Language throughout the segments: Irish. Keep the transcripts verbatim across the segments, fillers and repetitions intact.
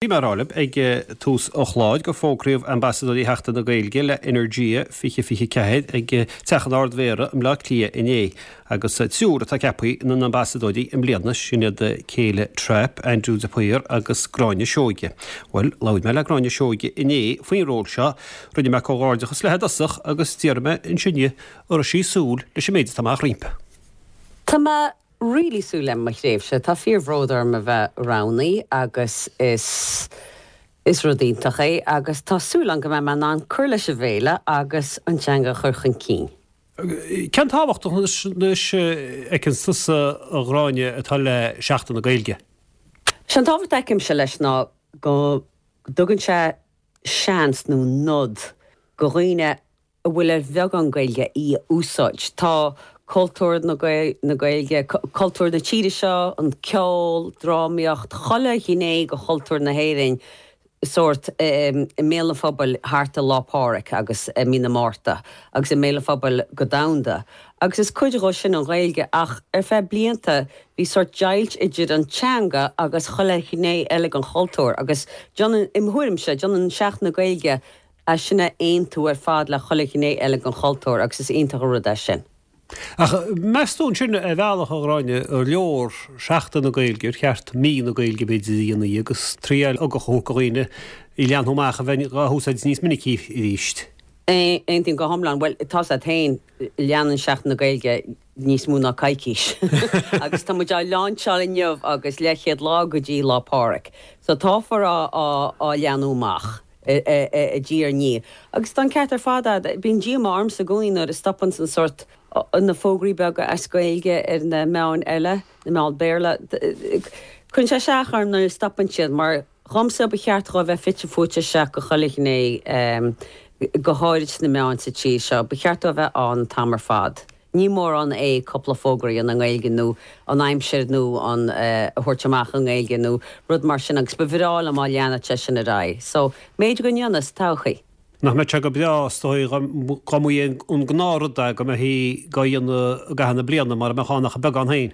Bhí mé ag rá libh ag tús an chláir gur fógraíodh Ambasadóirí Sheachtain na Gaeilge le Energia fiche fiche ceathair ag Teach an Ard-Mhéara i mBleá Cliath inné agus triúr atá ceaptha ina n-ambasadóirí i mbliana, sin iad Celia Trapp, Andrew de Paor agus Gráinne Seoige. Bhuel, labhair mé le Gráinne Seoige inné faoin ról seo, rinne mé comhghairdeachas léi i dtosach agus d'iarr mé ansin di an raibh sí ag súil leis an méid atá amach roimpi. Tá mé really súil le mo thréimhse. Tá fíorbhród orm a bheith roghnaithe agus is is rud iontach é agus tá súil agam go mbeidh mé in ann cur leis an bhféile agus an teanga a chur chun cinn. Cén tábhacht anois a fheiceann tusa, a Ghráinne, atá le Seachtain na Gaeilge? Sé an tábhacht a fheicimse leis ná go dtugann sé seans nó nod go dhaoine a bhfuil ar bheagán Gaeilge í a úsáid. Tá cultúr na Gaeilge, cultúr na tíre seo, an ceol, drámaíocht, chuile ghné de chultúr na hÉireann sórt i mbéal an phobail thart ar Lá Pádraig agus i mí na Márta agus i mbéal an phobail go domhanda. Agus is cuid dhe sin an Ghaeilge ach ar feadh blianta bhí sórt deighilt idir an teanga agus chuile ghné eile den chultúr agus déanann, i mo thuairimse, déanann Seachtain na Gaeilge é sin a aontú ar fad le chuile ghné eile den chultúr agus is iontach an rud é sin. Ach meas tú ansin ar bhealach, a Ghráinne, ar leor Seachtain na Gaeilge, ar cheart Mí na Gaeilge b'fhéidir a dhéanamh agus triail a thabhairt do dhaoine í a leathnú amach a bheith á húsáid níos minicí arís? Aontaím go hiomlán. Bhuel, tá 's agat féin, leanann Seachtain na Gaeilge níos mó ná coicís. Agus tá muid á lainseáil inniu agus leathchéad lá go dtí Lá Pádraig. So táfar á á leathnú amach. diaidh ar ndiaidh. Agus tá an ceart ar fad agat, bíonn díomá ormsa i gcónaí nuair a stopann an sórt na fógraí beaga as Gaeilge ar na meáin eile, na meáin Béarla. Cuireann sé isteach orm nuair a stopann siad mar dhomsa ba cheart dhó bheith fite fuaite isteach go chuile ghné, go háirid sna meáin sa tír seo. Ba cheart dó bheith ann an t-am ar fad. Ní mórán é cúpla fógra a dhéanamh i nGaeilge nó an aimsir nó an a thabhairt amach i nGaeilge nó rud mar sin agus ba bhreá liom má leanfadh sé sin ar aghaidh. So, b'fhéidir go ndéanfaidh sa todhchaí. Nach mbeadh sé go breá is dóigh dá mba é an gnáthrud é go mbeifí dhá dhéanamh i gcaitheamh na bliana mara mbeadh ann ach beagán féin.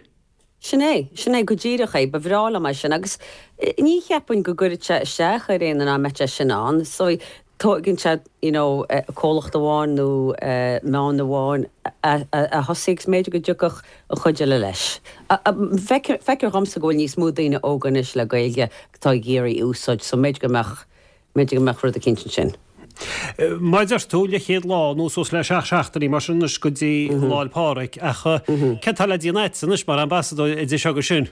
Sin é, sin é go díreach é, ba bhreá liom é sin agus ní cheapaim go gcuirfeadh sé isteach ar éinne dá mbeadh sé sin ann. So tóigeann sé you know comhlacht amháin nó meán amháin a thosaí agus b'fhéidir go dtiocfadh an chuid eile leis. Feictear dhomsa go bhfuil níos mó daoine óga anois le Gaeilge atá ag iarraidh í a úsáid so b'fhéidir go mbeadh b'fhéidir go mbeadh rud eicínt ansin. Mar a deir tú, leathchéad lá nó suas le seacht seachtainí mar sin anois go dtí Lá 'le Pádraig ach céard atá le déanamh agat anois mar ambasadóir idir seo agus sin?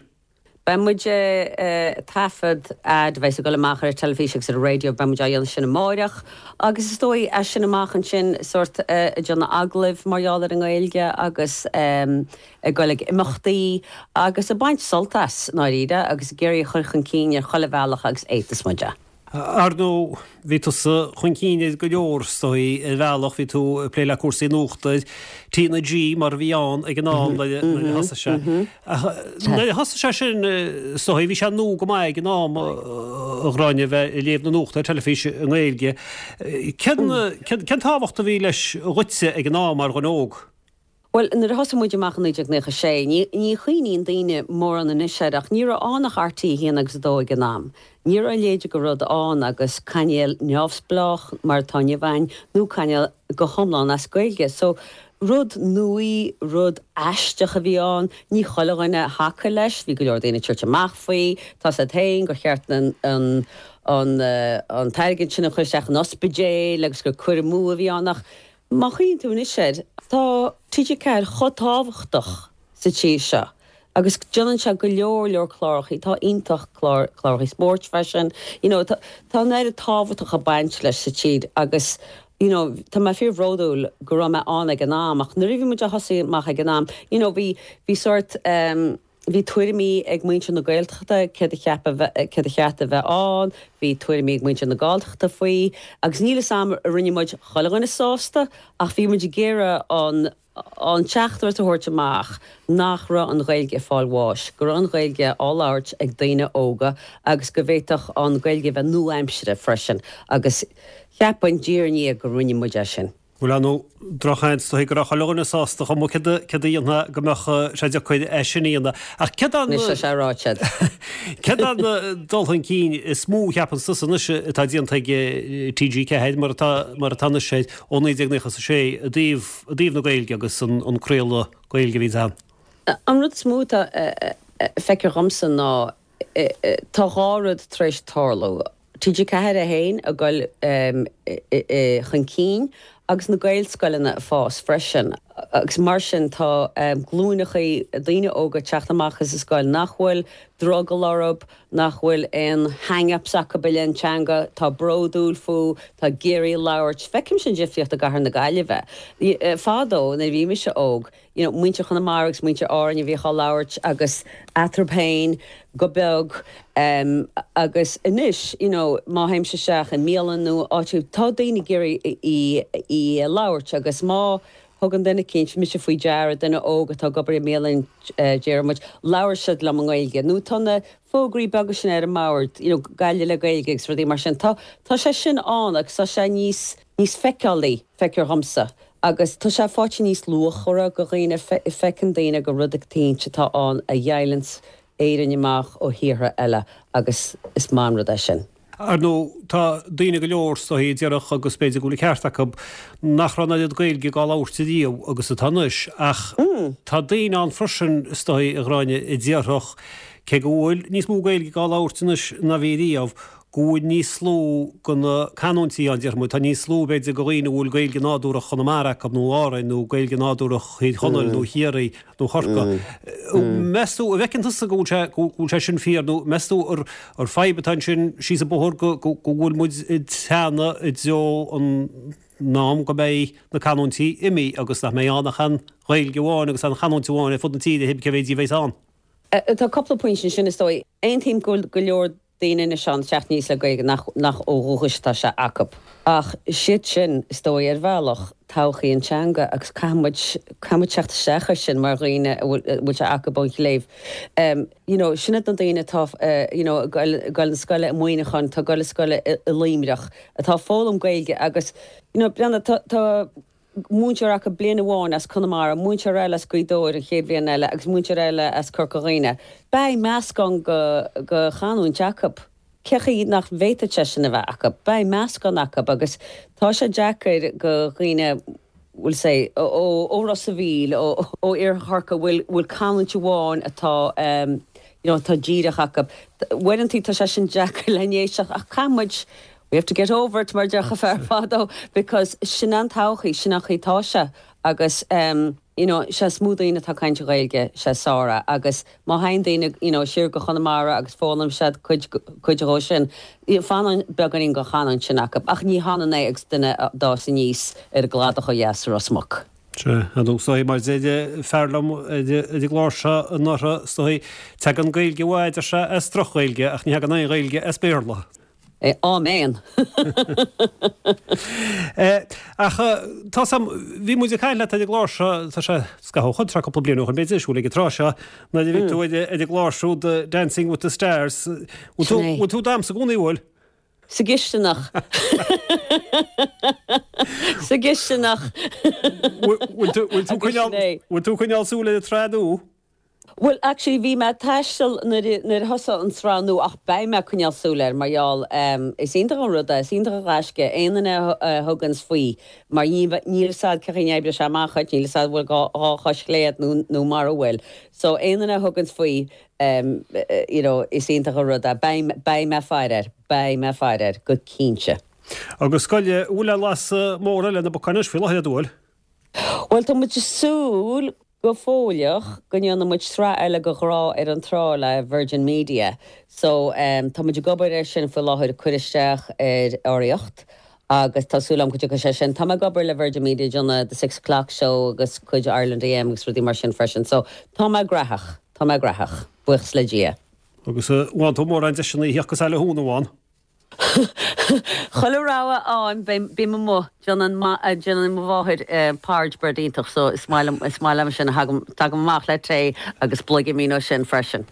Beidh muid ag taifead ad a bheas ag dul amach ar an teilifís agus ar an raidió, beidh muid á dhéanamh sin amáireach agus is dóigh as sin amach ansin sórt ag déanamh agallaimh mar gheall ar an nGaeilge agus ag dul ag imeachtaí agus ag baint sult as, i ndáiríre, agus ag iarraidh a chur chun cinn ar chuile bhealach agus a fhéadfas muid é. Ar ndóigh, bhí tusa chun cinn ar go leor, is dóigh, ar bhealach, bhí tú ag plé le cúrsaí nuachta ar T na G mar a bhí ann ag an am nuair a thosaigh sé. Ach nuair a thosaigh sé sin, is dóigh, bhí sé nua go maith ag an am, a Ghráinne, a bheith ag léamh na nuachta ar teilifís i nGaeilge. Cén cén tábhacht a bhí leis dhuitse ag an am mar dhuine óg? Bhuel, nuair a thosaigh muid amach i naoi déag naocha sé, ní, ní chuimhníonn daoine mórán anois air ach ní raibh ann ach R T a haon agus a dó ag an am. Ní raibh a leithéid de rud ann agus cainéal neamhspleách mar atá inniu ann nó cainéal go hiomlán as Gaeilge. So, rud nua, rud aisteach a bhí ann. Ní chuile dhuine a thacaigh leis, bhí go leor daoine ag tabhairt amach faoi, tá 's agat féin gur cheart an, an, an, an t-airgead sin a chur isteach in ospidéil agus gur cur amú a bhí ann ach Má chuimhníonn tú anois air, tá T G ceathair chomh tábhachtach sa tír seo agus déanann sé go leor leor clárachaí, atá iontach, clár, clárachaí spóirt freisin, you know, tá, tá an oiread tábhachtach ag baint leis sa tír agus, you know, tá mé fíorbhródúil go raibh mé ann ag an am ach nuair a bhí muid á thosaí amach ag an am, you know, bhí, bhí sórt ehm, Bhí tuairimí ag muintir na Gaeltachta céard a cheap a bheith, céard a cheart a bheith ann, bhí tuairimí ag muintir na Galltachta faoi, agus níl 'fhios a'm ar rinne muid chuile dhuine sásta, ach bhí muid ag iarraidh an, an teachtaireacht a thabhairt amach nach raibh an Ghaeilge ag fáil bháis, go raibh an Ghaeilge á labhairt ag daoine óga agus go bhféadfadh an Ghaeilge a bheith nua-aimseartha freisin, agus cheapfainn, diaidh ar ndiaidh, go rinne muid é sin. Bhuel ar ndóigh drochsheans is dóigh go raibh chuile dhuine sásta chomh maith céard a dhéanfá go mbeadh sé deacair é sin a dhéanamh. Ach céard an Anois tá sé ráite. Céard an dul chun cinn is mó a cheapann tusa anois atá déanta ag T G ceathair mar atá mar atá anois sé ó naoi déag nócha a sé i dtaobh i dtaobh na Gaeilge agus an an craoladh Gaeilge a bhí ann? An rud is mó atá feicthe agamsa ná tá dhá rud tar éis tarlú. T G ceathair é féin ag dul chun cinn agus na Gaelscoileanna fás freisin. Agus mar sin tá glúineachaí daoine óga teacht amach as an scoil nach bhfuil drogall orthu, nach bhfuil aon hang-ups acu i leith an teanga, tá bródúil faoi, tá ag iarraidh labhairt. Feicim sin difríocht i gCathair na Gaillimhe. Fadó nuair a bhí mise óg, you know, muintir Chonamara agus muintir Árainn a bhíodh á labhairt agus eatarthu féin go beag um, agus anois you know, má théimse isteach i mbialann nó áit tá daoine ag iarraidh í, í labhairt agus má thugann duine eicínt mise faoi deara duine óg atá ag obair i mbialann uh, déarfaidh muid labhair siad liom i nGaeilge. Nó tá na fógraí beaga sin ar an mbord you know, Gaillimh le Gaeilge agus rudaí mar sin. Tá tá sé sin ann agus tá sé níos níos feiceálaí feictear domsa. Agus tá sé fáite níos luachmhaire do dhaoine feiceann daoine go rud eicínt atá ann a dheighileanns Éirinn amach ó thíortha eile agus is maith an rud é sin. Ar ndóigh tá daoine go leor is dóigh a déarfadh agus b'fhéidir go bhfuil an ceart acu nach raibh an oiread Gaeilge á labhairt riamh agus atá anois ach tá daoine ann freisin is dóigh a Ghráinne a déarfadh cé go bhfuil níos mó Gaeilge á labhairt anois ná bhí riamh go bhfuil níos lú de na canúintí ann déarfaidh muid tá níos lú b'fhéidir de dhaoine a bhfuil Gaeilge nádúrach Chonamara acu nó Árainn nó Gaeilge nádúrach Thír Chonaill nó Chiarraí nó Chorcaí. Meas tú an bhfeiceann tusa go bhfuil sé go bhfuil sé sin fíor nó meas tú ar ar fadhb atá ansin síos an bóthar go go go bhfuil muid ag teannadh i dtreo an am go mbeidh na canúintí imithe agus nach mbeidh ann ach an Ghaeilge amháin agus an chanúint amháin ar fud na tíre cibé cé mhéad a bheas ann. Tá cúpla pointe sin is dóigh. Aontaím go go leor daoine na sean teacht níos le Gaeilge nach nach ó dhúchas tá sé acu. Ach siad sin is dóigh ar bhealach todhchaí an teanga agus caithfimid caithfimid teacht isteach ar sin mar dhaoine a bhfuil sé acu ón chléibh. Um, you know, sin iad na daoine atá uh, you know, ag dul na scoile i Muineachán, tá dul scoile i Luimneach, atá foghlaim Gaeilge agus you know, breathnaigh tá tá múinteoir acu bliain amháin as Conamara, múinteoir eile as Gaoth Dobhair an chéad bhliain eile agus múinteoir eile as Corca Dhuibhne. Beidh meascán de de chanúint acu. Cén chaoi nach bhféadfadh sé sin a bheith acu, Beidh meascán acu agus tá sé deacair do dhaoine we'll say ó ó Ros an Mhíl ó ó Iarthar bhfuil bhfuil canúint amháin atá um, you know, tá díreach acu. Uaireanta tá sé sin deacair le n-éisteacht ach caithfimid we have to get over it mar deir fear fadó because sin an todhchaí sin an chaoi tá sé agus um, you know, sé is mó daoine atá caint Gaeilge sé Sára agus má théann daoine you know, siar go Conamara agus foghlaim siad cuid cuid dhó sin fanann beagáinín den chanúint sin acu ach ní hionann é agus duine a d'fhás aníos ar an gcladach ó dheas Ros Muc. Se nó mar deir fear liom ar an gclár seo anuraidh is dóigh tagann Gaeilge mhaith se as droch-Ghaeilge ach ní thagann aon Ghaeilge as Béarla. Amen. Ach tá sam bhí muid ag caint leat ar an gclár seo tá sé scaitheamh chun cúpla bliain ó b'fhéidir siúl ag trá seo na bhí tú ar an gclár siúd Dancing with the Stars. Bhfuil tú damhsa i gcónaí bhfuil? Sa gcisteanach. Sa gcisteanach. Bhfuil tú ag coinneáil súil ar an tsraith nua? Well, actually bhí mé taisteal nuair thosaigh an tsraith nua ach beidh mé coinneáil súil air mar gheall um, is iontach an rud é is iontach an gaisce aon duine a thuganns faoi mar níl sad ce oibre se amachcha níl sad bhfuil dhá chois chlé agat nó nó mar a bhfuil. So aon duine a thuganns faoi um, you know, is iontach an rud é beidh mé faire air, beidh mé faire air go cinnte. Agus scoile bhfuil laas mór le na bocáis faoi láthair dúil? Well tá muid súil go fóilleach go ndéanfaidh muid sraith eile de Ghrá ar an Trá le Virgin Media. So um, tá muid ag obair ar sin faoi láthair cur isteach ar urraíocht. Agus tá súil agam go dtiocfaidh sé sin Tá ag obair le Virgin Media déanamh the six o'clock show agus cuid Ireland A M agus rudaí mar sin freisin. So tá mé gnóthach Tá mé gnóthach buíochas le Dia. Agus bhain tú mórán deiseanna theach eile hún amháin. Chuile rogha ann bím amuigh déanann déanann mo mháthair porridge bread iontach so is maith liom is maith liom sin tagaim amach le tae agus bloigimín ó sin freisin.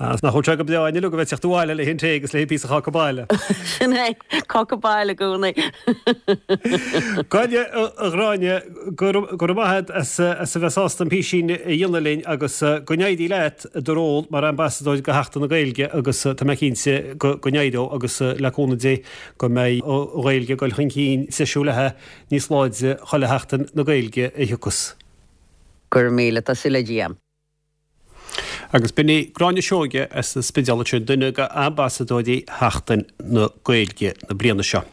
Nach bhfuil sé go breá inniu go bheith teacht abhaile le tae agus le píosa cáca baile. Sin é cáca baile i gcónaí. Gráinne a Ghráinne go raibh maith as as a bheith sásta an písín a dhéanamh linn agus go n-éirí leat i do ról mar ambasadóir do Sheachtain na Gaeilge agus tá mé cinnte go n-éireoidh agus le cúnamh Dé go mbeidh an Ghaeilge ag dul chun cinn treisiú léi níos láidre chuile Sheachtain na Gaeilge a thiocfas. Go raibh míle tá súil le Dia. Agus b'in í Gráinne Seoige as an Spidéal sin duine de ambasadóirí Sheachtain na Gaeilge na bliana seo.